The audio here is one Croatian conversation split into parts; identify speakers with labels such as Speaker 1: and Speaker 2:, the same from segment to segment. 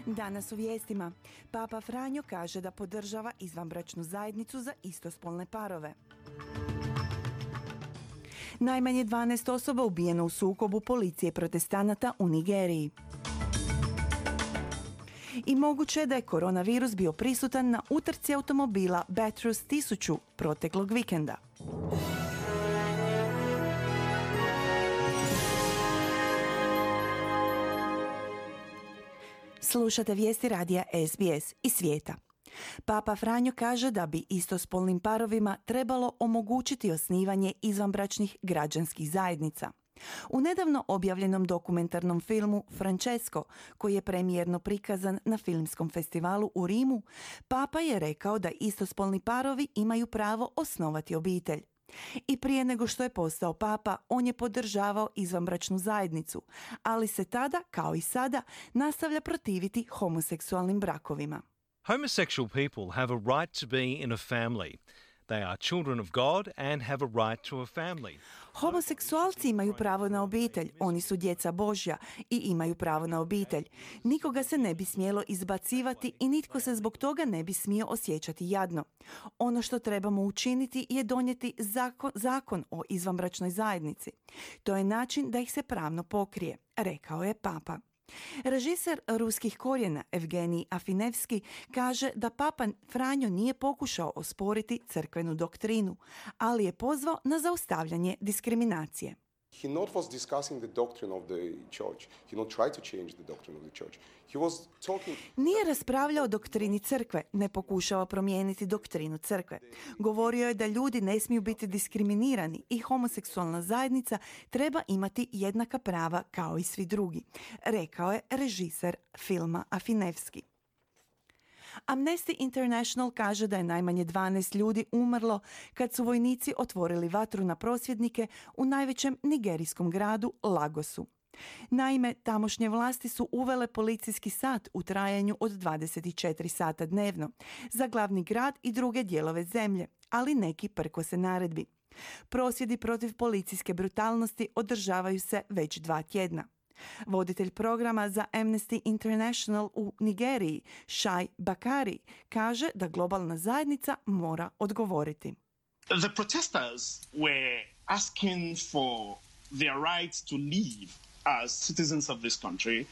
Speaker 1: Danas u vijestima. Papa Franjo kaže da podržava izvanbračnu zajednicu za istospolne parove. Najmanje 12 osoba ubijeno u sukobu policije i protestanata u Nigeriji. I moguće je da je koronavirus bio prisutan na utrci automobila Bathurst 1000 proteklog vikenda. Slušate vijesti radija SBS iz svijeta. Papa Franjo kaže da bi istospolnim parovima trebalo omogućiti osnivanje izvanbračnih građanskih zajednica. U nedavno objavljenom dokumentarnom filmu Francesco, koji je premijerno prikazan na filmskom festivalu u Rimu, Papa je rekao da istospolni parovi imaju pravo osnovati obitelj. I prije nego što je postao papa, on je podržavao izvanbračnu zajednicu, ali se tada, kao i sada, nastavlja protiviti homoseksualnim brakovima.
Speaker 2: Homosexual people have a right to be in a family. They are children of God and have a right to a family.
Speaker 1: Homoseksualci imaju pravo na obitelj, oni su djeca Božja i imaju pravo na obitelj. Nikoga se ne bi smjelo izbacivati i nitko se zbog toga ne bi smio osjećati jadno. Ono što trebamo učiniti je donijeti zakon o izvanbračnoj zajednici. To je način da ih se pravno pokrije, rekao je papa. Režiser ruskih korijena Evgenij Afinevski kaže da papa Franjo nije pokušao osporiti crkvenu doktrinu, ali je pozvao na zaustavljanje diskriminacije.
Speaker 3: He not was discussing the doctrine of the church. He not tried to change the doctrine of the church. He was talking...
Speaker 1: Nije raspravljao o doktrini crkve, ne pokušava promijeniti doktrinu crkve. Govorio je da ljudi ne smiju biti diskriminirani i homoseksualna zajednica treba imati jednaka prava kao i svi drugi, rekao je režiser filma Afinevski. Amnesty International kaže da je najmanje 12 ljudi umrlo kad su vojnici otvorili vatru na prosvjednike u najvećem nigerijskom gradu Lagosu. Naime, tamošnje vlasti su uvele policijski sat u trajanju od 24 sata dnevno za glavni grad i druge dijelove zemlje, ali neki prkose naredbi. Prosvjedi protiv policijske brutalnosti održavaju se već 2 tjedna. Voditelj programa za Amnesty International u Nigeriji, Shai Bakari, kaže da globalna zajednica mora odgovoriti.
Speaker 4: The protesters were asking for their right to live as citizens of this country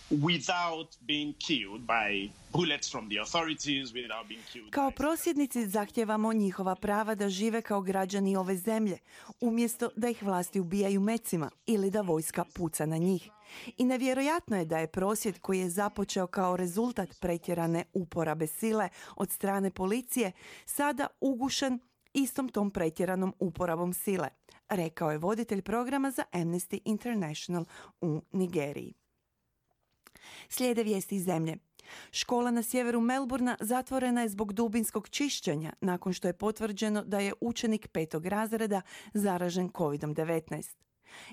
Speaker 4: without being killed by bullets from the authorities, without being killed.
Speaker 1: Kao prosvjednici zahtijevamo njihova prava da žive kao građani ove zemlje, umjesto da ih vlasti ubijaju mecima ili da vojska puca na njih. I nevjerojatno je da je prosvjed koji je započeo kao rezultat pretjerane uporabe sile od strane policije sada ugušen istom tom pretjeranom uporabom sile, rekao je voditelj programa za Amnesty International u Nigeriji. Slijede vijesti iz zemlje. Škola na sjeveru Melbourna zatvorena je zbog dubinskog čišćenja nakon što je potvrđeno da je učenik 5. razreda zaražen COVID-19.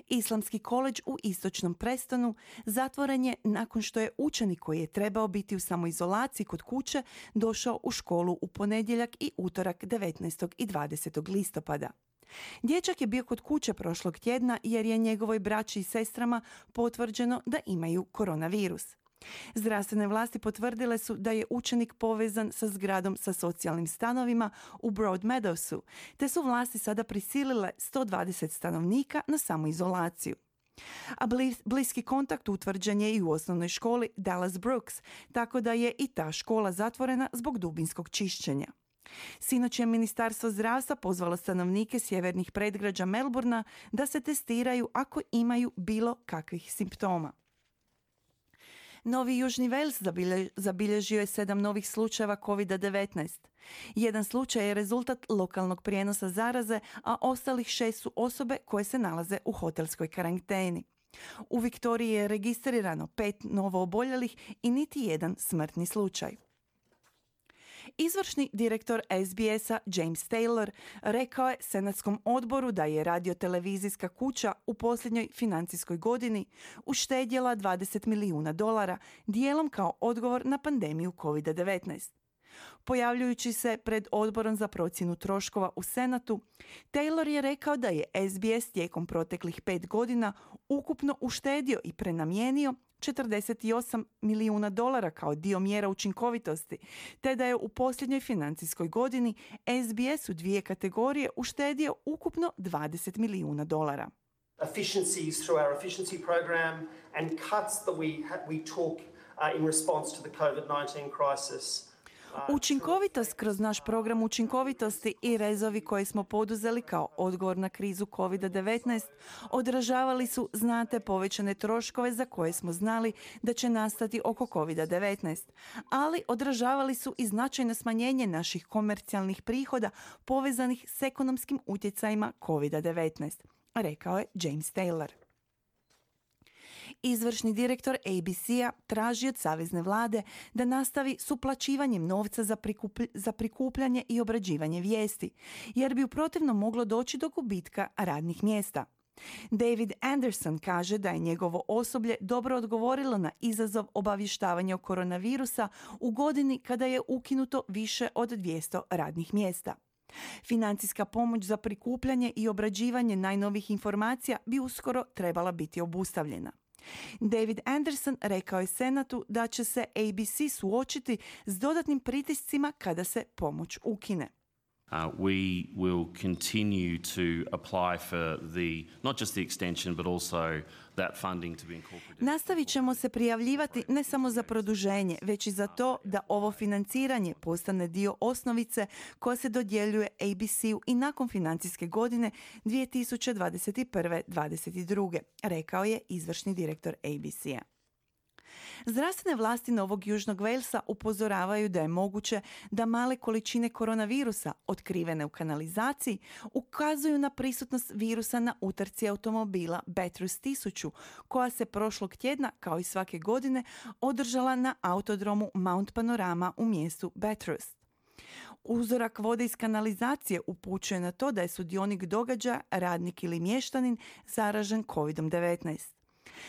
Speaker 1: Islamski koledž u istočnom Prestonu zatvoren je nakon što je učenik koji je trebao biti u samoizolaciji kod kuće došao u školu u ponedjeljak i utorak 19. i 20. listopada. Dječak je bio kod kuće prošlog tjedna jer je njegovoj braći i sestrama potvrđeno da imaju koronavirus. Zdravstvene vlasti potvrdile su da je učenik povezan sa zgradom sa socijalnim stanovima u Broadmeadowsu, te su vlasti sada prisilile 120 stanovnika na samoizolaciju. A bliski kontakt utvrđen je i u osnovnoj školi Dallas Brooks, tako da je i ta škola zatvorena zbog dubinskog čišćenja. Sinoć je Ministarstvo zdravstva pozvalo stanovnike sjevernih predgrađa Melbourna da se testiraju ako imaju bilo kakvih simptoma. Novi Južni Wales zabilježio je 7 novih slučajeva COVID-19. Jedan slučaj je rezultat lokalnog prijenosa zaraze, a ostalih 6 su osobe koje se nalaze u hotelskoj karanteni. U Viktoriji je registrirano 5 novo oboljelih i niti jedan smrtni slučaj. Izvršni direktor SBS-a James Taylor rekao je Senatskom odboru da je radiotelevizijska kuća u posljednjoj financijskoj godini uštedjela $20 milijuna, dijelom kao odgovor na pandemiju COVID-19. Pojavljujući se pred odborom za procjenu troškova u Senatu, Taylor je rekao da je SBS tijekom proteklih 5 godina ukupno uštedio i prenamijenio $48 milijuna kao dio mjera učinkovitosti, te da je u posljednjoj financijskoj godini SBS u 2 kategorije uštedio ukupno $20 milijuna.
Speaker 5: Efficiencies through our efficiency program and cuts that we took in response to the COVID-19 crisis.
Speaker 1: Učinkovitost kroz naš program učinkovitosti i rezovi koje smo poduzeli kao odgovor na krizu COVID-19 odražavali su znate povećane troškove za koje smo znali da će nastati oko COVID-19, ali odražavali su i značajno smanjenje naših komercijalnih prihoda povezanih s ekonomskim utjecajima COVID-19, rekao je James Taylor. Izvršni direktor ABC-a traži od savezne vlade da nastavi s uplaćivanjem novca za prikupljanje i obrađivanje vijesti, jer bi u protivnom moglo doći do gubitka radnih mjesta. David Anderson kaže da je njegovo osoblje dobro odgovorilo na izazov obavještavanja o koronavirusa u godini kada je ukinuto više od 200 radnih mjesta. Financijska pomoć za prikupljanje i obrađivanje najnovijih informacija bi uskoro trebala biti obustavljena. David Anderson rekao je Senatu da će se ABC suočiti s dodatnim pritiscima kada se pomoć ukine.
Speaker 6: We will continue to apply for not just the extension, but also that funding to be incorporated.
Speaker 1: Nastavit ćemo se prijavljivati ne samo za produženje, već i za to da ovo financiranje postane dio osnovice koja se dodjeljuje ABC-u i nakon financijske godine 2021-2022, rekao je izvršni direktor ABC-a. Zdravstvene vlasti Novog Južnog Walesa upozoravaju da je moguće da male količine koronavirusa otkrivene u kanalizaciji ukazuju na prisutnost virusa na utrci automobila Bathurst 1000, koja se prošlog tjedna, kao i svake godine, održala na autodromu Mount Panorama u mjestu Bathurst. Uzorak vode iz kanalizacije upućuje na to da je sudionik događaja, radnik ili mještanin, zaražen COVID-19.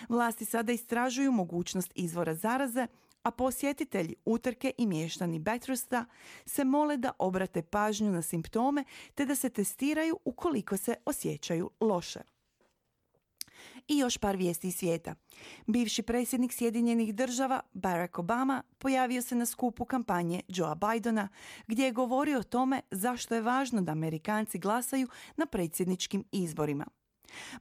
Speaker 1: Vlasti sada istražuju mogućnost izvora zaraze, a posjetitelji utrke i mještani Bathursta se mole da obrate pažnju na simptome te da se testiraju ukoliko se osjećaju loše. I još par vijesti iz svijeta. Bivši predsjednik Sjedinjenih država Barack Obama pojavio se na skupu kampanje Joea Bidena gdje je govorio o tome zašto je važno da Amerikanci glasaju na predsjedničkim izborima.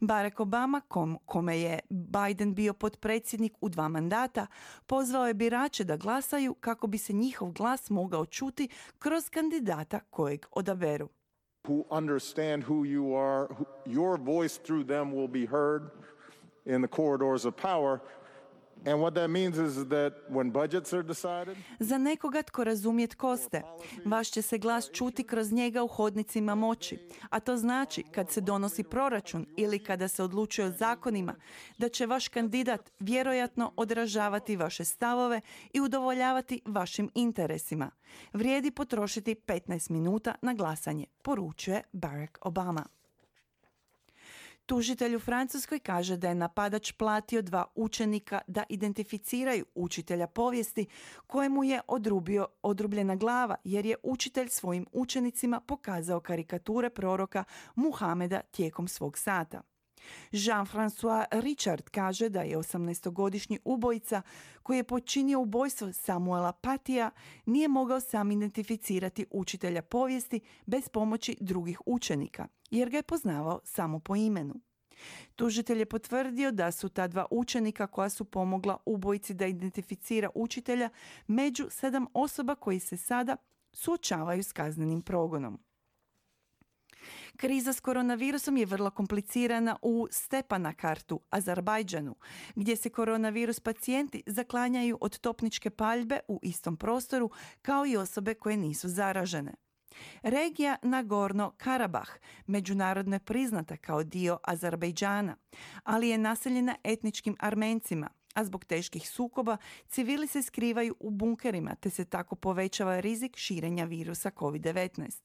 Speaker 1: Barack Obama, kome je Biden bio potpredsjednik u 2 mandata, pozvao je birače da glasaju kako bi se njihov glas mogao čuti kroz kandidata kojeg odaberu.
Speaker 7: Who understand who you are, your voice through them will be heard in the corridors of power. And what that means is that when budgets are decided,
Speaker 1: za nekoga tko razumije tko ste, vaš će se glas čuti kroz njega u hodnicima moći, a to znači kad se donosi proračun ili kada se odlučuje o zakonima, da će vaš kandidat vjerojatno odražavati vaše stavove i udovoljavati vašim interesima. Vrijedi potrošiti 15 minuta na glasanje, poručuje Barack Obama. Tužitelj u Francuskoj kaže da je napadač platio 2 učenika da identificiraju učitelja povijesti kojemu je odrubljena glava jer je učitelj svojim učenicima pokazao karikature proroka Muhameda tijekom svog sata. Jean-François Richard kaže da je 18-godišnji ubojica koji je počinio ubojstvo Samuela Patija nije mogao sam identificirati učitelja povijesti bez pomoći drugih učenika, jer ga je poznavao samo po imenu. Tužitelj je potvrdio da su ta 2 učenika koja su pomogla ubojici da identificira učitelja među 7 osoba koji se sada suočavaju s kaznenim progonom. Kriza s koronavirusom je vrlo komplicirana u Stepanakartu, Azerbajdžanu, gdje se koronavirus pacijenti zaklanjaju od topničke paljbe u istom prostoru kao i osobe koje nisu zaražene. Regija Nagorno-Karabah međunarodno je priznata kao dio Azerbajdžana, ali je naseljena etničkim Armencima, a zbog teških sukoba civili se skrivaju u bunkerima te se tako povećava rizik širenja virusa COVID-19.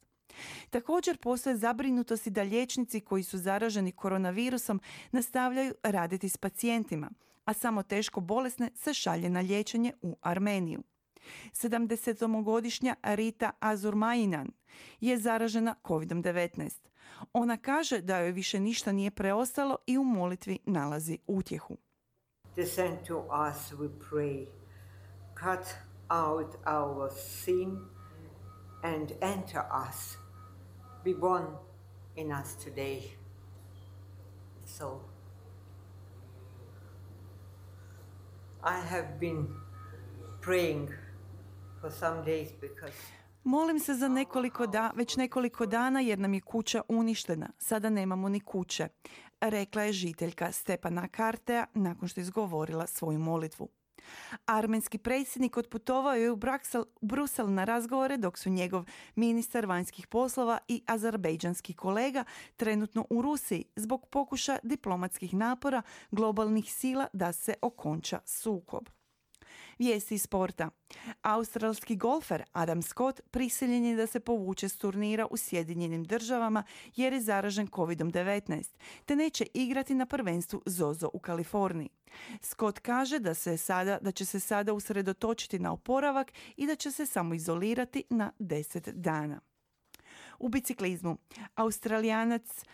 Speaker 1: Također postoje zabrinutosti da liječnici koji su zaraženi koronavirusom nastavljaju raditi s pacijentima, a samo teško bolesne se šalje na liječenje u Armeniju. 70-godišnja Rita Azurmajinan je zaražena COVID-19. Ona kaže da joj više ništa nije preostalo i u molitvi nalazi utjehu.
Speaker 8: Descend to us, we pray. Cut out our sin and enter us. Be born in us today. So, I have been praying for some days because
Speaker 1: Molim se za već nekoliko dana jer nam je kuća uništena. Sada nemamo ni kuće, rekla je žiteljka Stepana Kartea nakon što je izgovorila svoju molitvu. Armenski predsjednik otputovao je u Brusel na razgovore dok su njegov ministar vanjskih poslova i azerbejdžanski kolega trenutno u Rusiji zbog pokušaja diplomatskih napora globalnih sila da se okonča sukob. Vijesti iz sporta. Australski golfer Adam Scott prisiljen je da se povuče s turnira u Sjedinjenim Državama jer je zaražen COVID-19, te neće igrati na prvenstvu ZOZO u Kaliforniji. Scott kaže da će se sada usredotočiti na oporavak i da će se samo izolirati na 10 dana. U biciklizmu. Australijanac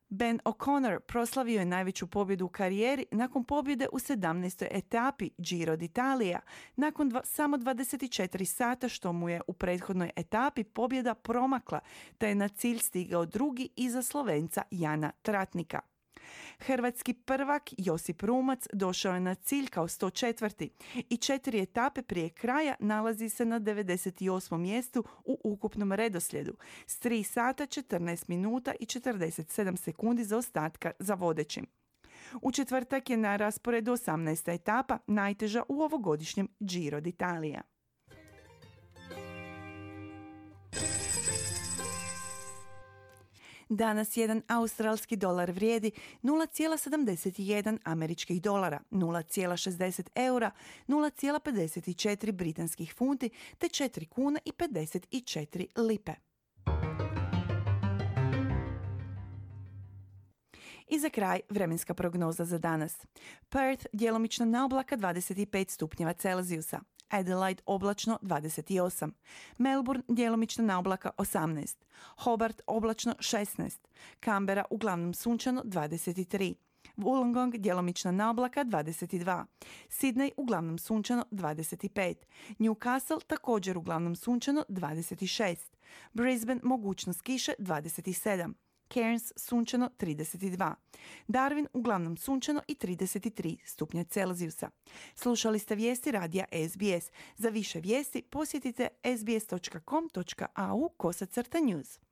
Speaker 1: Ben O'Connor proslavio je najveću pobjedu u karijeri nakon pobjede u 17. etapi Giro d'Italia, nakon samo 24 sata što mu je u prethodnoj etapi pobjeda promakla, te je na cilj stigao drugi iza Slovenca Jana Tratnika. Hrvatski prvak Josip Rumac došao je na cilj kao 104. i 4 etape prije kraja nalazi se na 98. mjestu u ukupnom redoslijedu s 3 sata 14 minuta i 47 sekundi zaostatka za vodećim. U četvrtak je na rasporedu 18. etapa, najteža u ovogodišnjem Giro d'Italia. Danas jedan australski dolar vrijedi 0,71 američkih dolara, 0,60 eura, 0,54 britanskih funti te 4 kuna i 54 lipe. I za kraj vremenska prognoza za danas. Perth djelomično na oblaka 25 stupnjeva Celzijusa. Adelaide oblačno 28, Melbourne djelomično na oblaka 18, Hobart oblačno 16, Canberra uglavnom sunčano 23, Wollongong djelomično na oblaka 22, Sydney uglavnom sunčano 25, Newcastle također uglavnom sunčano 26, Brisbane mogućnost kiše 27, Cairns sunčano 32, Darwin uglavnom sunčano i 33 stupnja Celzijusa. Slušali ste vijesti radija SBS. Za više vijesti posjetite sbs.com.au/news.